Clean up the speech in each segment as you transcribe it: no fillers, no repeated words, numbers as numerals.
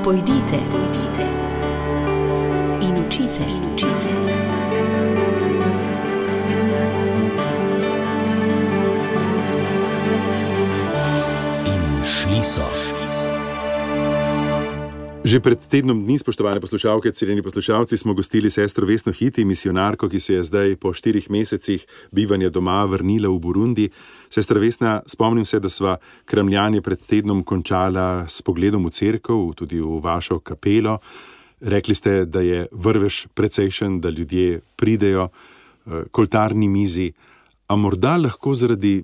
Pojdite in učite. In šli so. Že pred tednom dni, spoštovane poslušalke, cenjeni poslušalci, smo gostili sestro Vesno Hiti, misionarko, ki se je zdaj po 4 mesecih bivanja doma vrnila v Burundi. Sestra Vesna, spomnim se, da sva kramljanje pred tednom končala s pogledom v cerkev, tudi v vašo kapelo. Rekli ste, da je vrvež precejšen, da ljudje pridejo k oltarni mizi. A morda lahko zaradi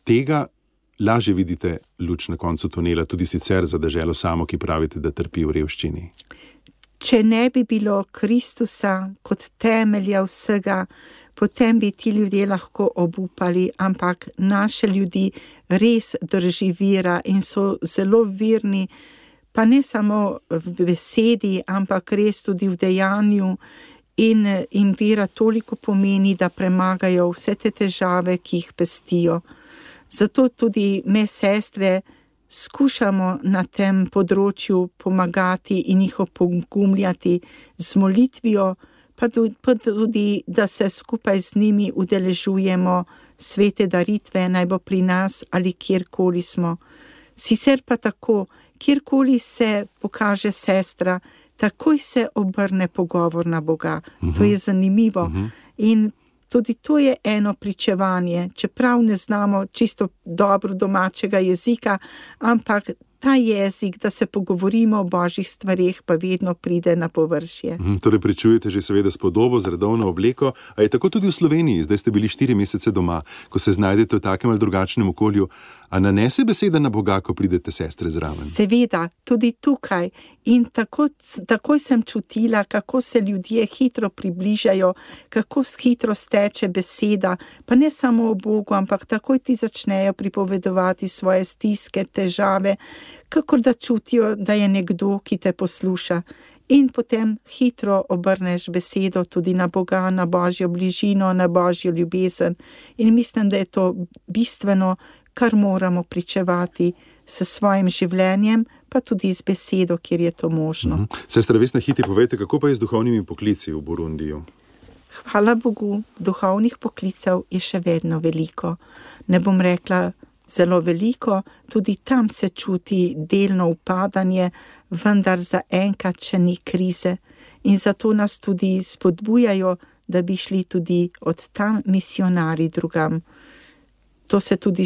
tega lažje vidite luč na koncu tunela, tudi sicer za deželo samo, ki pravite, da trpi v revščini? Če ne bi bilo Kristusa kot temelja vsega, potem bi ti ljudje lahko obupali, ampak naše ljudi res drži vera in so zelo verni, pa ne samo v besedi, ampak res tudi v dejanju, in vera toliko pomeni, da premagajo vse te težave, ki jih pestijo. Zato tudi me, sestre, skušamo na tem področju pomagati in jih opogumljati z molitvijo, pa tudi, da se skupaj z njimi udeležujemo svete daritve, naj bo pri nas ali kjerkoli smo. Sicer pa tako, kjerkoli se pokaže sestra, takoj se obrne pogovor na Boga. To je zanimivo. In tudi to je eno pričevanje, čeprav ne znamo čisto dobro domačega jezika, ampak ta jezik, da se pogovorimo o božjih stvareh, pa vedno pride na površje. Torej pričujete že seveda s podobo, z redovno obleko, a je tako tudi v Sloveniji, zdaj ste bili 4 mesece doma, ko se znajdete v takem ali drugačnem okolju, a nanese beseda na Boga, ko pridete sestre zraven? Seveda, tudi tukaj. In takoj sem čutila, kako se ljudje hitro približajo, kako hitro steče beseda, pa ne samo o Bogu, ampak takoj ti začnejo pripovedovati svoje stiske, težave, kakor da čutijo, da je nekdo, ki te posluša. In potem hitro obrneš besedo tudi na Boga, na božjo bližino, na božjo ljubezen. In mislim, da je to bistveno, kar moramo pričevati s svojim življenjem, pa tudi z besedo, kjer je to možno. Sestra Vesna Hiti, povejte, kako pa je z duhovnimi poklici v Burundiju? Hvala Bogu, duhovnih poklicev je še vedno veliko. Ne bom rekla zelo veliko, tudi tam se čuti delno upadanje, vendar zaenkrat še ni krize. In zato nas tudi spodbujajo, da bi šli tudi od tam misionarji drugam. To se tudi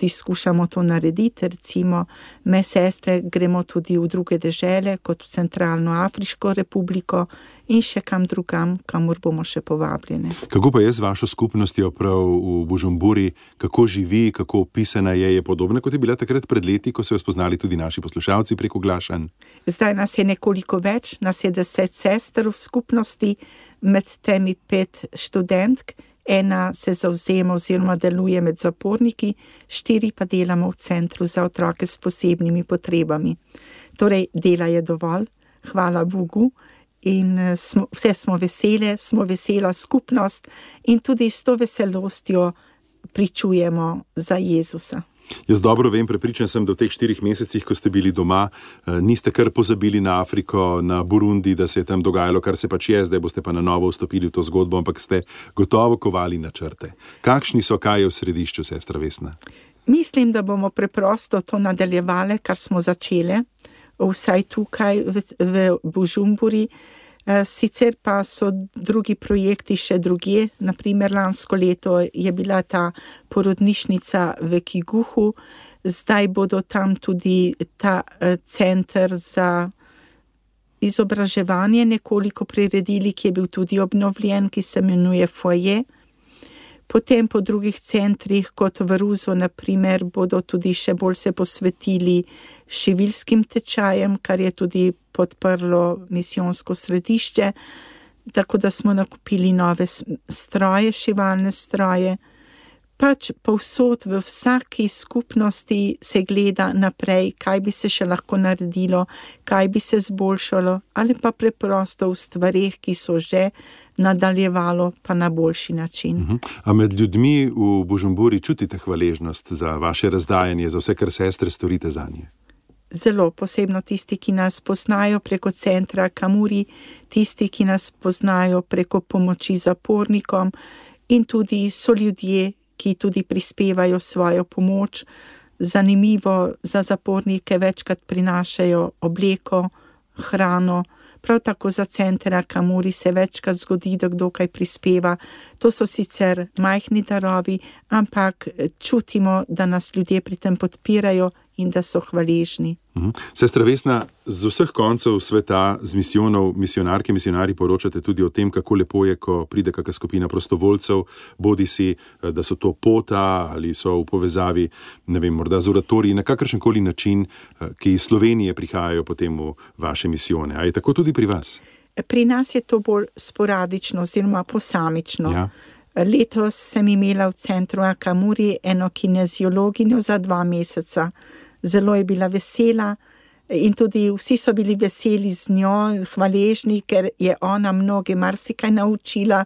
skušamo to narediti, recimo, me sestre gremo tudi v druge dežele, kot v Centralno Afriško republiko in še kam drugam, kamor bomo še povabljene. Kako pa je z vašo skupnostjo prav v Bujumburi, kako živi, kako opisana je podobna, kot je bila takrat pred leti, ko so jo spoznali tudi naši poslušalci preko oglašanj? Zdaj nas je nekoliko več, nas je 10 sester v skupnosti, med temi 5 študentk. Ena se zavzema oziroma deluje med zaporniki, 4 pa delamo v centru za otroke s posebnimi potrebami. Torej, dela je dovolj, hvala Bogu, in vse smo vesela skupnost in tudi s to veselostjo pričujemo za Jezusa. Jaz dobro vem, prepričan sem, da v teh 4 mesecih, ko ste bili doma, niste kar pozabili na Afriko, na Burundi, da se je tam dogajalo, kar se pač je, zdaj boste pa na novo vstopili v to zgodbo, ampak ste gotovo kovali načrte. Kakšni so, kaj je v središču, sestra Vesna? Mislim, da bomo preprosto to nadaljevali, kar smo začeli, vsaj tukaj v Bujumburi. Sicer pa so drugi projekti še drugje, naprimer lansko leto je bila ta porodnišnica v Kiguhu, zdaj bodo tam tudi ta center za izobraževanje nekoliko priredili, ki je bil tudi obnovljen, ki se imenuje Foyer. Potem po drugih centrih, kot v Ruzu, naprimer, bodo tudi še bolj se posvetili šiviljskim tečajem, kar je tudi podprlo misijonsko središče, tako da smo nakupili nove stroje, šivalne stroje. Pač povsod v vsaki skupnosti se gleda naprej, kaj bi se še lahko naredilo, kaj bi se zboljšalo, ali pa preprosto v stvareh, ki so že nadaljevalo, pa na boljši način. A med ljudmi v Bujumburi čutite hvaležnost za vaše razdajanje, za vse, kar sestre storite zanje? zelo posebno tisti, ki nas poznajo preko centra Kamuri, tisti, ki nas poznajo preko pomoči zapornikom in tudi so ljudje, ki tudi prispevajo svojo pomoč. Zanimivo, za zapornike večkrat prinašajo obleko, hrano, prav tako za center Kamuri se večkrat zgodi, da kdo kaj prispeva. To so sicer majhni darovi, ampak čutimo, da nas ljudje pri tem podpirajo in da so hvaležni. Sestra Vesna, z vseh koncev sveta, z misijonov, misionarke, misionarji poročate tudi o tem, kako lepo je, ko pride kakšna skupina prostovoljcev, bodisi, da so to pota ali so v povezavi, ne vem, morda z oratoriji, na kakršenkoli način, ki iz Slovenije prihajajo potem v vaše misijone. A je tako tudi pri vas? Pri nas je to bolj sporadično oziroma posamično. Ja. Letos sem imela v centru Kamuri eno kineziologinjo za 2 meseca. Zelo je bila vesela in tudi vsi so bili veseli z njo, hvaležni, ker je ona mnoge marsikaj naučila.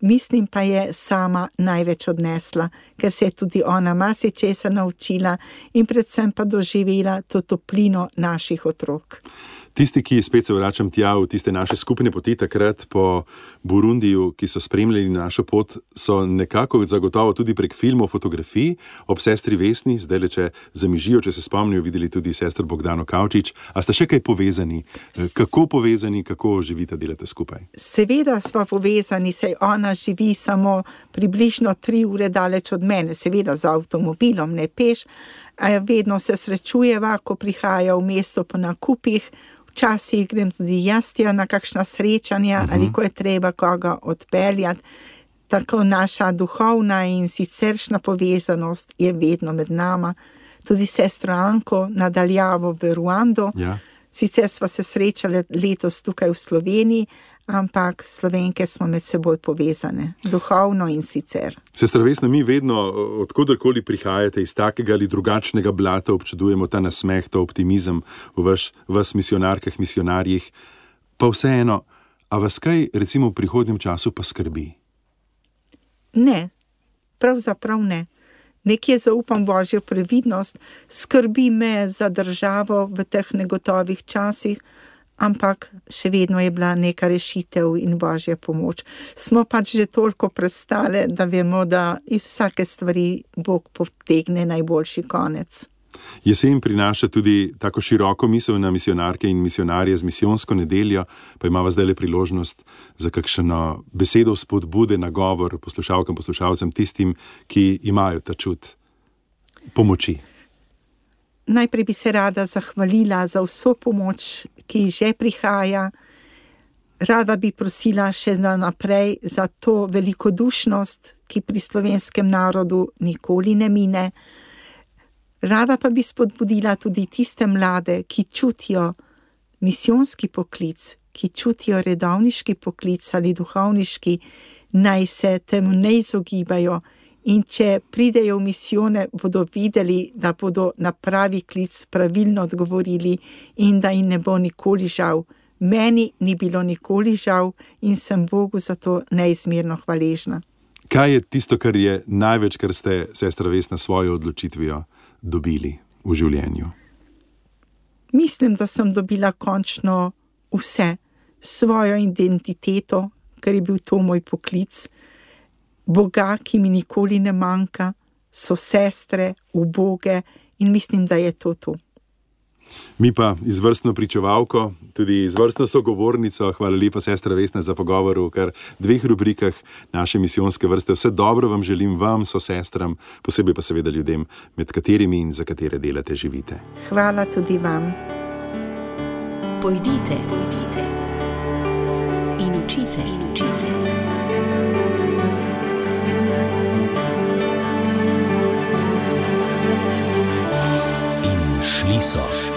Mislim pa je sama največ odnesla, ker se je tudi ona marsičesa naučila in predvsem pa doživela to toplino naših otrok. Tisti, ki spet se vračam tja v tiste naše skupne poti takrat po Burundiju, ki so spremljali našo pot, so nekako zagotovo tudi prek filmov, fotografij ob sestri Vesni, zdaj če zamižijo, če se spomnijo, videli tudi sestro Bogdano Kavčič. A ste še kaj povezani? Kako povezani, kako živite, delate skupaj? Seveda smo povezani, saj ona živi samo približno 3 ure daleč od mene, seveda z avtomobilom, ne peš. Vedno se srečujeva, ko prihaja v mesto po nakupih. Včasih grem tudi jaz na kakšna srečanja ali ko je treba koga odpeljati. Tako naša duhovna in siceršna povezanost je vedno med nama. Tudi sestro Anko nadaljavo v Ruando. Ja. Sicer smo se srečali letos tukaj v Sloveniji, ampak Slovenke smo med seboj povezane, duhovno in sicer. Sestra Vesna, mi vedno, odkodarkoli prihajate iz takega ali drugačnega blata, občudujemo ta nasmeh, ta optimizem v vas misionarkah, misionarjih. Pa vseeno, a vas kaj recimo v prihodnjem času pa skrbi? Ne, pravzaprav ne. Nekje zaupam Božjo previdnost, skrbi me za državo v teh negotovih časih, ampak še vedno je bila neka rešitev in Božja pomoč. Smo pač že toliko prestale, da vemo, da iz vsake stvari Bog potegne najboljši konec. Jesen prinaša tudi tako široko misel na misionarke in misionarje z misijonsko nedeljo, pa imava zdaj le priložnost za kakšno besedo spodbude, nagovor poslušalkam, poslušalcem, tistim, ki imajo ta čut pomoči. Najprej bi se rada zahvalila za vso pomoč, ki že prihaja. Rada bi prosila še naprej za to velikodušnost, ki pri slovenskem narodu nikoli ne mine. Rada pa bi spodbudila tudi tiste mlade, ki čutijo misijonski poklic, ki čutijo redovniški poklic ali duhovniški, naj se temu ne izogibajo in če pridejo v misijone, bodo videli, da bodo na pravi klic pravilno odgovorili in da jim ne bo nikoli žal. Meni ni bilo nikoli žal in sem Bogu za to neizmerno hvaležna. Kaj je tisto, kar je največ, kar ste, sestra Vesna, svojo odločitvijo dobili v življenju? Mislim, da sem dobila končno vse, svojo identiteto, ker je bil to moj poklic, Boga, ki mi nikoli ne manjka, so sestre, uboge in mislim, da je to to. Mi pa izvrstno pričevalko, tudi izvrstno sogovornico, hvala lepa sestra Vesna za pogovor v kar 2 rubrikah naše misijonske vrste. Vse dobro vam želim, vam, so sestram, posebej pa seveda ljudem, med katerimi in za katere delate, živite. Hvala tudi vam. Pojdite in učite. In šli so.